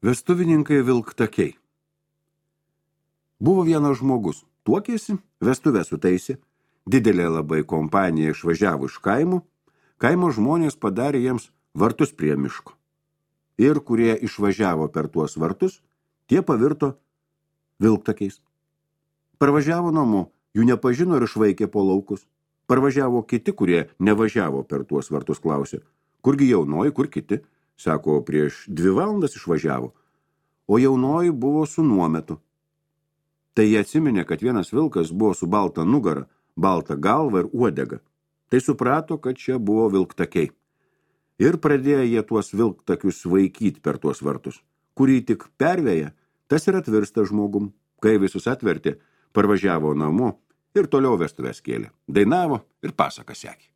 Vestuvininkai vilktakiai. Buvo vienas žmogus, tuokėsi, vestuvę sutaisė, didelė labai kompanija išvažiavo iš kaimų, kaimo žmonės padarė jiems vartus prie miško. Ir kurie išvažiavo per tuos vartus, tie pavirto vilktakiais. Parvažiavo namo, jų nepažino ir išvaikė po laukus. Parvažiavo kiti, kurie nevažiavo per tuos vartus, klausė, kurgi jaunoji, kur kiti? Sako, prieš 2 valandas išvažiavo, o jaunoji buvo su nuometu. Tai jie atsiminė, kad vienas vilkas buvo su balta nugara, balta galva ir uodega. Tai suprato, kad čia buvo vilktakiai. Ir pradėjo jie tuos vilktakius vaikyti per tuos vartus. Kurį tik pervėja, tas ir atvirsta žmogum. Kai visus atvertė, parvažiavo namo ir toliau vestuves kėlė. Dainavo ir pasaką sekė.